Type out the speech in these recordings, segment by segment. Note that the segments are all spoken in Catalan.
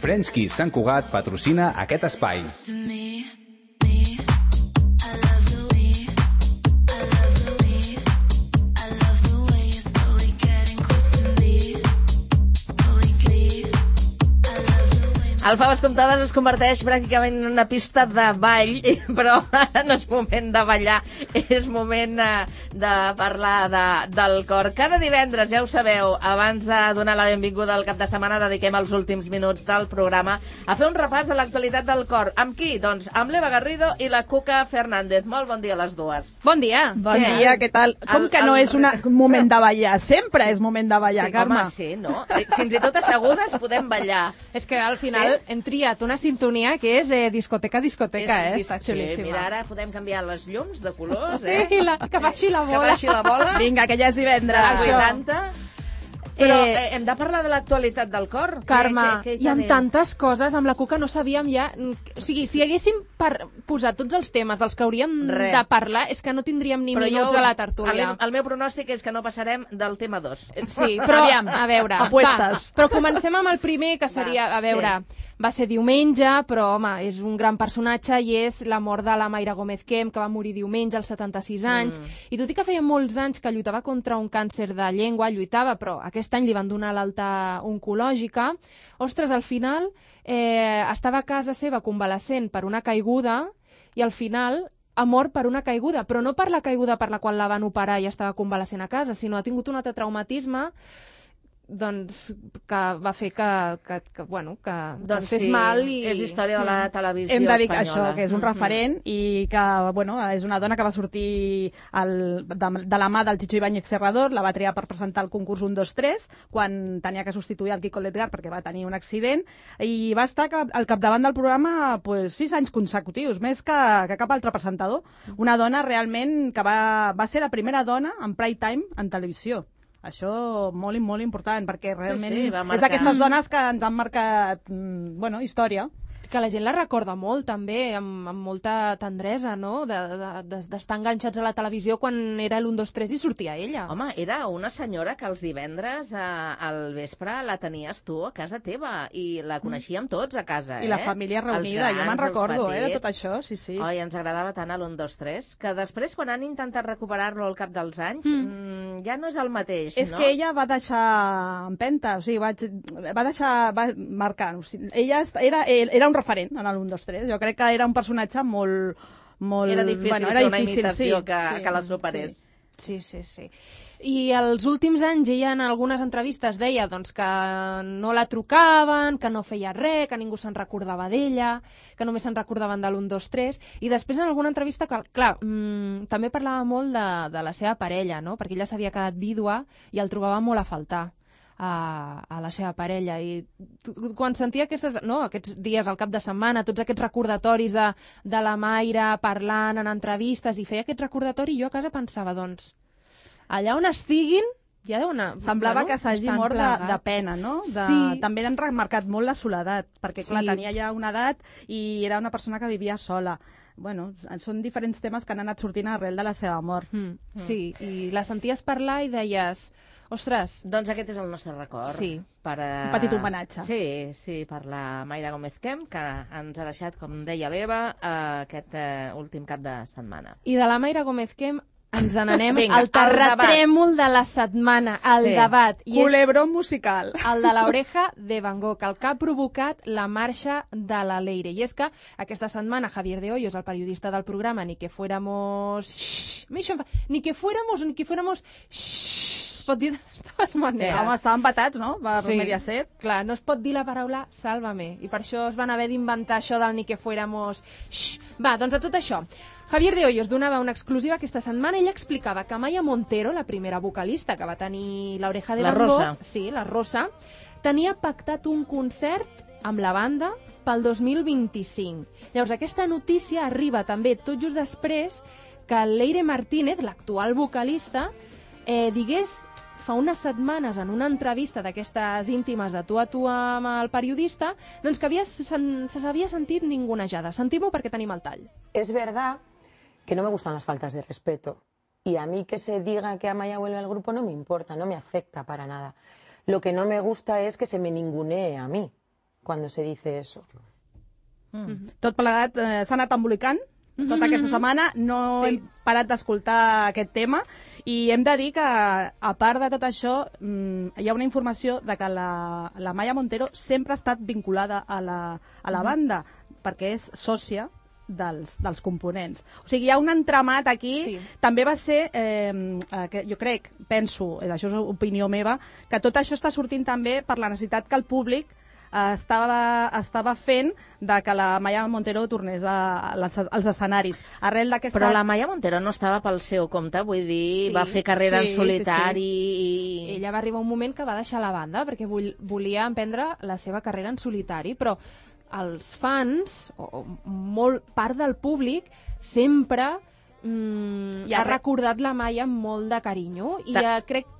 French Kiss Sant Cugat patrocina aquest espai. El Faves Comptades es converteix pràcticament en una pista de ball, però no és moment de ballar, és moment de parlar del cor. Cada divendres, ja ho sabeu, abans de donar la benvinguda al cap de setmana, dediquem els últims minuts del programa a fer un repàs de l'actualitat del cor. Amb qui? Doncs amb l'Eva Garrido i la Cuca Fernández. Molt bon dia a les dues. Bon dia. Bon dia, què tal? Com que no és un moment de ballar? Sempre és moment de ballar, sí, Carme. Home, sí, no? Fins i tot assegudes podem ballar. És que al final hem triat una sintonia que és discoteca, està xulíssima. Sí, mira, ara podem canviar les llums de colors, Sí, que baixi la bola. Que baixi la bola. Vinga, que ja és divendres. 80. Però hem de parlar de l'actualitat del cor. Carme, què hi ha tantes coses, amb la Cuca no sabíem ja... O sigui, si haguéssim posat tots els temes dels que hauríem de parlar, és que no tindríem ni minuts a la tertúlia. El meu pronòstic és que no passarem del tema 2. Sí, però, a veure, apuestes. Però comencem amb el primer, que seria, a veure... Va ser diumenge, però, home, és un gran personatge i és la mort de la Mayra Gómez Kemp, que va morir diumenge als 76 anys. I tot i que feia molts anys que lluitava contra un càncer de llengua, però aquest any li van donar l'alta oncològica. Ostres, al final estava a casa seva convalescent per una caiguda i al final ha mort per una caiguda, però no per la caiguda per la qual la van operar i estava convalescent a casa, sinó ha tingut un altre traumatisme doncs, que va fer que fes mal i... És història de la televisió Hem de dir espanyola. això, que és un referent i que, és una dona que va sortir de la mà del Chicho Ibáñez Serrador, la va triar per presentar el concurs 1, 2, 3, quan tenia que substituir el Kiko Ledgar perquè va tenir un accident, i va estar al capdavant del programa 6 anys consecutius, més que cap altre presentador. Una dona realment que va ser la primera dona en prime time en televisió. Això molt i molt important, perquè realment és d'aquestes dones que ens han marcat història. Que la gent la recorda molt, també, amb molta tendresa, no?, d'estar enganxats a la televisió quan era l'1, 2, 3 i sortia ella. Home, era una senyora que els divendres al vespre la tenies tu a casa teva i la coneixíem tots a casa, I la família reunida, jo me'n recordo, de tot això, sí. Oi, ens agradava tant l'1, 2, 3, que després, quan han intentat recuperar-lo al cap dels anys, ja no és el mateix, És que ella va deixar empenta, o sigui, va marcar. O sigui, ella era un referent en l'1, 2, 3. Jo crec que era un personatge molt... Era difícil fer una imitació que la superés. Sí. I els últims anys ella en algunes entrevistes deia que no la trucaven, que no feia res, que ningú se'n recordava d'ella, que només se'n recordaven de l'1, 2, 3, i després en alguna entrevista, clar, també parlava molt de la seva parella, no?, perquè ella s'havia quedat vídua i el trobava molt a faltar a la seva parella, i quan sentia aquests dies al cap de setmana, tots aquests recordatoris de la Mayra parlant en entrevistes, i feia aquest recordatori, jo a casa pensava, allà on estiguin ja deu anar... Semblava que s'hagi mort de pena, no? Sí. També l'han remarcat molt la soledat, perquè clar, tenia ja una edat i era una persona que vivia sola. Són diferents temes que han anat sortint arrel de la seva mort. Sí, i la senties parlar i deies... Ostres... Doncs aquest és el nostre record. Sí. Un petit homenatge. Sí, per la Mayra Gómez Kemp, que ens ha deixat, com deia l'Eva, aquest últim cap de setmana. I de la Mayra Gómez Kemp ens n'anem al terratrèmol de la setmana, al debat. Culebrón musical. El de l'Oreja de Van Gogh, el que ha provocat la marxa de la Leire. I és que aquesta setmana Javier de Hoyos, el periodista del programa Ni que fuéramos... Ni que fuéramos... Es pot dir de totes maneres. Home, estaven empatats, no? Per Mediaset. Clar, no es pot dir la paraula sálvame. I per això es van haver d'inventar això del ni que fuéramos... Va, doncs a tot això. Javier de Hoyos donava una exclusiva aquesta setmana i ell explicava que Maya Montero, la primera vocalista que va tenir l'Oreja de Van Gogh, la Rosa, tenia pactat un concert amb la banda pel 2025. Llavors, aquesta notícia arriba també tot just després que Leire Martínez, l'actual vocalista, digués fa unes setmanes en una entrevista d'aquestes íntimes de tu a tu amb el periodista, doncs que se s'havia sentit ningunejada. Sentim-ho perquè tenim el tall. Es verdad que no me gustan las faltas de respeto. Y a mí que se diga que Amaya vuelve al grupo no me importa, no me afecta para nada. Lo que no me gusta es que se me ningunee a mí cuando se dice eso. Tot plegat s'ha anat embolicant tota aquesta setmana, no hem parat d'escoltar aquest tema i hem de dir que, a part de tot això, hi ha una informació de que la Maya Montero sempre ha estat vinculada a la banda, perquè és sòcia dels components. O sigui, hi ha un entramat aquí. També va ser, jo crec, penso, això és opinió meva, que tot això està sortint també per la necessitat que el públic estava fent de que la Maya Montero tornés als escenaris. Però la Maya Montero no estava pel seu compte, vull dir, va fer carrera en solitari. I ella va arribar un moment que va deixar la banda perquè volia emprendre la seva carrera en solitari, però els fans, o part del públic, sempre ha recordat la Maya amb molt de carinyo i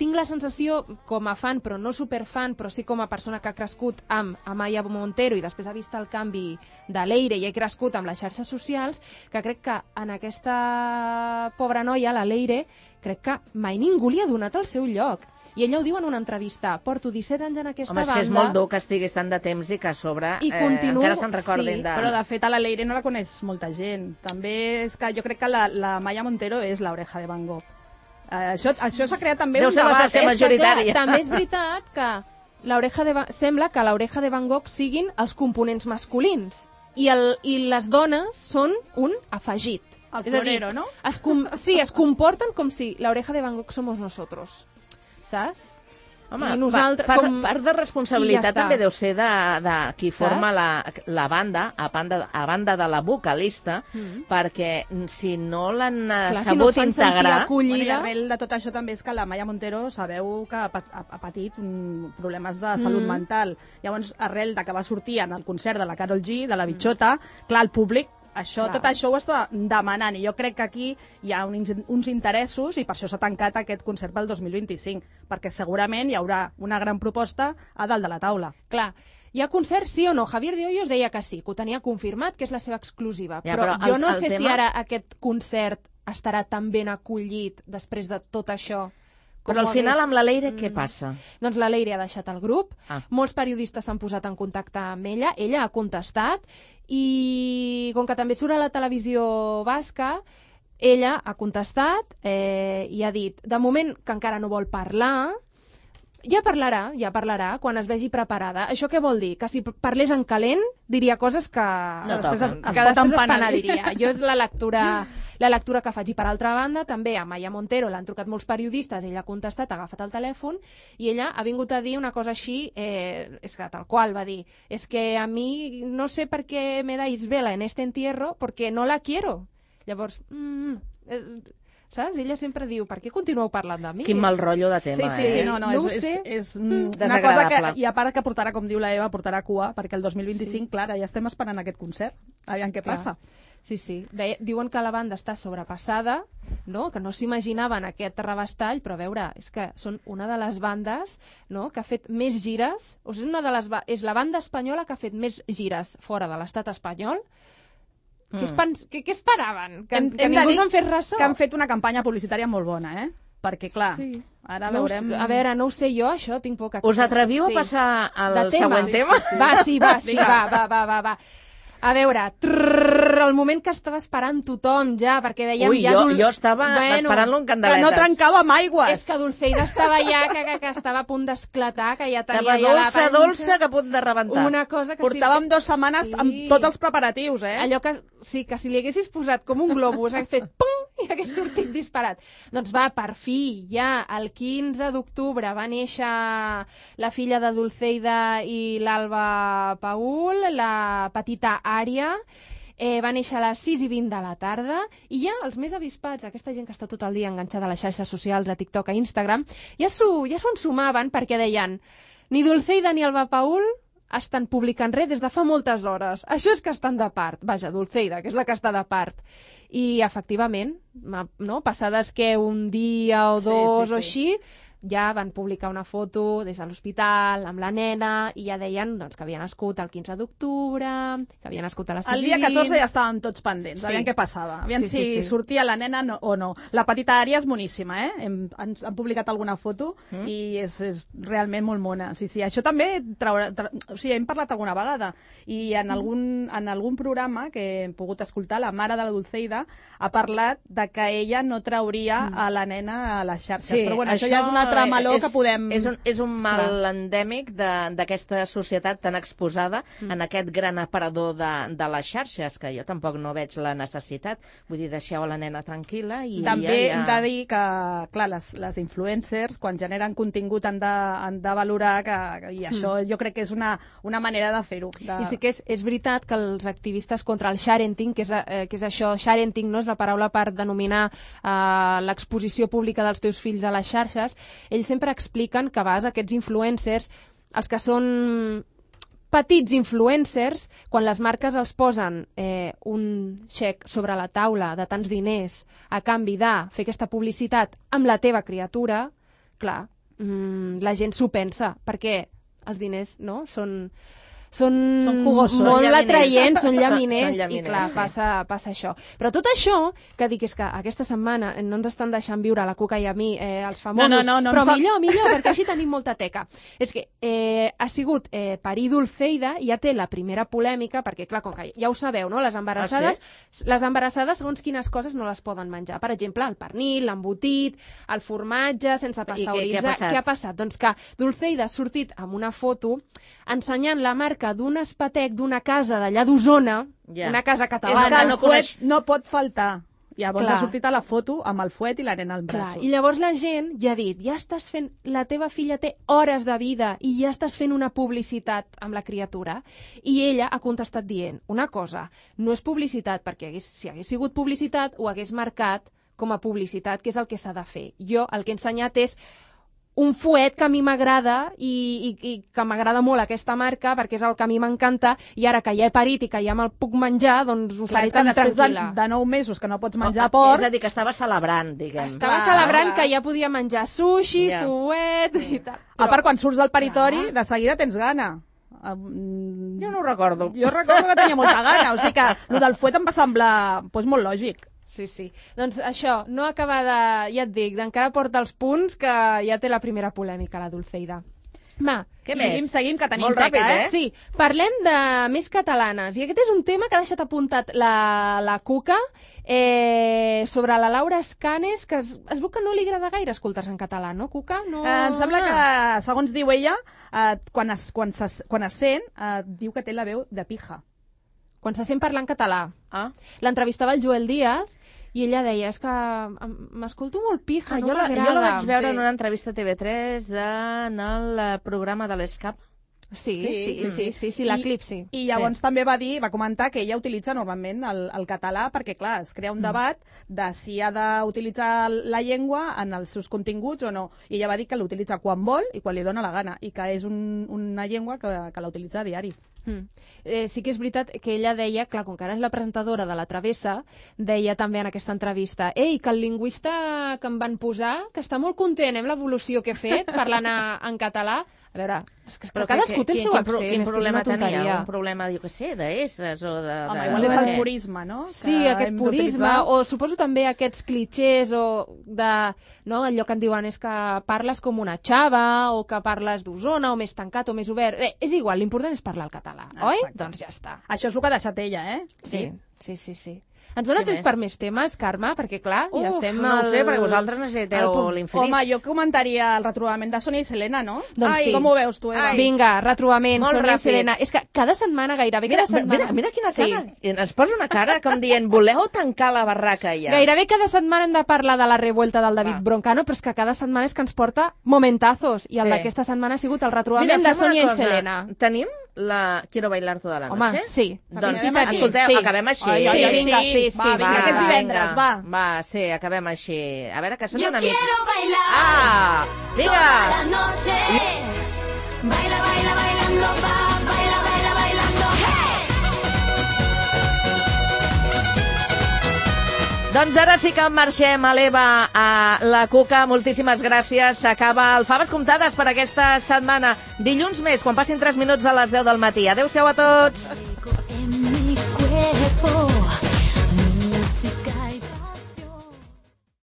tinc la sensació, com a fan, però no superfan, però sí com a persona que ha crescut amb Maya Montero i després ha vist el canvi de Leire i ha crescut amb les xarxes socials, que crec que en aquesta pobra noia, la Leire, crec que mai ningú li ha donat el seu lloc. I ella ho diu en una entrevista, porto 17 anys en aquesta banda... Home, és que és molt dur que estiguis tant de temps i que a sobre encara se'n recordin de... Però de fet a la Leire no la coneix molta gent. També és que jo crec que la Maya Montero és l'Oreja de Van Gogh. Això s'ha creat també un debat. Deu ser majoritària. També és veritat que sembla que l'Oreja de Van Gogh siguin els components masculins i les dones són un afegit. El florero, no? Sí, es comporten com si l'Oreja de Van Gogh somos nosotros. Saps? Home, part de responsabilitat també deu ser de qui forma la banda, a banda de la vocalista, perquè si no l'han sabut integrar... I arrel de tot això també és que la Maya Montero sabeu que ha patit problemes de salut mental. Llavors, arrel de que va sortir en el concert de la Karol G, de la Bichota, clar, el públic tot això ho està demanant i jo crec que aquí hi ha uns interessos i per això s'ha tancat aquest concert pel 2025, perquè segurament hi haurà una gran proposta a dalt de la taula. Clar, hi ha concert sí o no? Javier de Hoyos deia que sí, que ho tenia confirmat, que és la seva exclusiva, però jo no sé si ara aquest concert estarà tan ben acollit després de tot això. Però al final amb la Leire què passa? Doncs la Leire ha deixat el grup, molts periodistes s'han posat en contacte amb ella ha contestat i com que també surt a la televisió basca, ella ha contestat i ha dit, de moment que encara no vol parlar, ja parlarà quan es vegi preparada. Això què vol dir? Que si parlés en calent diria coses que després es penediria. Jo és la lectura que faig. I per altra banda, també a Maya Montero l'han trucat molts periodistes, ella ha contestat, ha agafat el telèfon i ella ha vingut a dir una cosa així, és que tal qual va dir, és que a mi no sé per què me dais vela en este entierro porque no la quiero. Llavors, saps? Ella sempre diu, per què continueu parlant de mi? Quin mal rotllo de tema, Sí, no, és una cosa que, i a part que portarà, com diu la Eva, portarà cua, perquè el 2025, clar, ja estem esperant aquest concert, aviam què passa. Sí. Diuen que la banda està sobrepassada, no? Que no s'imaginaven aquest rebastall, però a veure, és que són una de les bandes, no?, que ha fet més gires, o sigui, és la banda espanyola que ha fet més gires fora de l'estat espanyol. Què esperaven? Que ningú se'n fes ressò? Que han fet una campanya publicitària molt bona, perquè clar, ara veurem... A veure, no ho sé jo, això, tinc por que... Us atreviu a passar al següent tema? Va. A veure, el moment que estava esperant tothom ja, perquè veiem ja... Jo estava esperant-lo en candeletes. Que no trencava amb aigües. És que Dulceida estava ja, que estava a punt d'esclatar, que ja tenia ja la panxa... dolça, que a punt de rebentar. Una cosa que portàvem 2 setmanes amb tots els preparatius, Allò que si li haguessis posat com un globus, hagués fet pum, i hagués sortit disparat. Doncs va, per fi, ja, el 15 d'octubre va néixer la filla de Dulceida i l'Alba Paul, la petita Ària, va néixer a les 6:20 de la tarda, i ja els més avispats, aquesta gent que està tot el dia enganxada a les xarxes socials, a TikTok, a Instagram, ja s'ho ensumaven perquè deien ni Dulceida ni Alba Paul estan publicant res des de fa moltes hores. Això és que estan de part. Vaja, Dulceida, que és la que està de part. I, efectivament, no? Passades que un dia o dos o així, ja van publicar una foto des de l'hospital amb la nena i ja deien doncs, que havia nascut el 15 d'octubre, que havia nascut a la El dia 14 ja estàvem tots pendents, aviam què passava, aviam si sortia la nena o no. La petita Ària és moníssima, han publicat alguna foto i és realment molt mona. Sí, això també o sigui, hem parlat alguna vegada i en algun programa que hem pogut escoltar, la mare de la Dulceida ha parlat de que ella no trauria a la nena a les xarxes. Sí, però bueno, això ja és un altre meló que podem... És un mal endèmic d'aquesta societat tan exposada en aquest gran aparador de les xarxes, que jo tampoc no veig la necessitat. Vull dir, deixeu la nena tranquil·la i també hem de dir que, clar, les influencers, quan generen contingut han de valorar i això jo crec que és una manera de fer-ho. I sí que és veritat que els activistes contra el sharenting, que és això, sharenting, no? És la paraula per denominar l'exposició pública dels teus fills a les xarxes, ells sempre expliquen que a vegades aquests influencers, els que són petits influencers, quan les marques els posen un xec sobre la taula de tants diners a canvi de fer aquesta publicitat amb la teva criatura, clar, la gent s'ho pensa, perquè els diners no són jugosos, molt atraients, són llaminers, i clar, passa això. Però tot això, que dic és que aquesta setmana no ens estan deixant viure a la Cuca i a mi, els famosos, però millor, perquè així tenim molta teca. És que ha sigut parir Dulceida, ja té la primera polèmica, perquè clar, com que ja ho sabeu, no? Les embarassades, segons quines coses no les poden menjar. Per exemple, el pernil, l'embotit, el formatge, sense pasteuritzar. Què ha passat? Doncs que Dulceida ha sortit amb una foto ensenyant la marca d'un espatec d'una casa d'allà d'Osona, una casa catalana. És que el fuet no pot faltar. Llavors ha sortit a la foto amb el fuet i la nena als braços. I llavors la gent ja ha dit, ja estàs fent, la teva filla té hores de vida i ja estàs fent una publicitat amb la criatura. I ella ha contestat dient una cosa, no és publicitat, perquè si hagués sigut publicitat ho hagués marcat com a publicitat, que és el que s'ha de fer. Jo el que he ensenyat és un fuet que a mi m'agrada i que m'agrada molt aquesta marca perquè és el que a mi m'encanta i ara que ja he parit i que ja me'l puc menjar, doncs ho faré tan tranquil·la. De 9 mesos que no pots menjar porc... És a dir, que estava celebrant, diguem. Estava celebrant que ja podia menjar sushi, fuet i tal. A part, quan surts del paritori, de seguida tens gana. Jo no ho recordo. Jo recordo que tenia molta gana, o sigui que el del fuet em va semblar molt lògic. Sí. Doncs això, no acaba de... Ja et dic, encara porta els punts que ja té la primera polèmica, la Dulceida. Va, què més? Seguim, que tenim molt ràpid, Sí, parlem de més catalanes. I aquest és un tema que ha deixat apuntat la Cuca sobre la Laura Escanes, que es veu que no li agrada gaire escoltar-se en català, no, Cuca? No... Em sembla que, segons diu ella, quan es sent, diu que té la veu de pija. Quan se sent parlar en català. L'entrevistava el Joel Díaz i ella deia, és que m'escolto molt pija, no m'agrada. Jo la vaig veure en una entrevista a TV3 en el programa de l'Escap. Sí, la Clip, sí. I llavors també va comentar que ella utilitza normalment el català perquè, clar, es crea un debat de si ha d'utilitzar la llengua en els seus continguts o no. I ella va dir que l'utilitza quan vol i quan li dona la gana i que és una llengua que la utilitza a diari. Sí que és veritat que ella deia, clar, com que ara és la presentadora de La Travessa, deia també en aquesta entrevista que el lingüista que em van posar, que està molt content amb l'evolució que he fet parlant en català. A veure, és que cadascú té el seu accent. Quin problema tenia? Un problema, jo què sé, d'esses o de... Home, igual és el purisme, no? Sí, aquest purisme, o suposo també aquests clichés o de... No, allò que en diuen és que parles com una xava o que parles d'Osona o més tancat o més obert. És igual, l'important és parlar el català, oi? Doncs ja està. Això és el que ha deixat ella, Sí. Ens dona temps per més temes, Carme? Perquè, clar, ja estem... No ho sé, perquè vosaltres necessiteu l'infinit. Home, jo comentaria el retrobament de Sònia i Selena, no? Doncs sí. Com ho veus, tu, Eva? Vinga, retrobament, Sònia i Selena. És que cada setmana, gairebé cada setmana... Mira quina cara. Ens posa una cara com dient, voleu tancar la barraca ja. Gairebé cada setmana hem de parlar de la revuelta del David Broncano, però és que cada setmana és que ens porta momentazos. I el d'aquesta setmana ha sigut el retrobament de Sònia i Selena. Tenim la Quiero bailar toda la noche? Home, sí. Doncs escolteu, acabem així. Sí, vinga, sí. Vinga, que és divendres, va. Va, sí, acabem així. A veure, que sona una mica. Yo quiero bailar toda la noche. Baila, baila, bailando, baila, baila, bailando, hey. Doncs ara sí que marxem a l'Eva, a la Cuca. Moltíssimes gràcies. S'acaba el Faves Comptades per aquesta setmana. Dilluns més, quan passin 3 minuts de les 10 del matí. Adéu-siau a tots.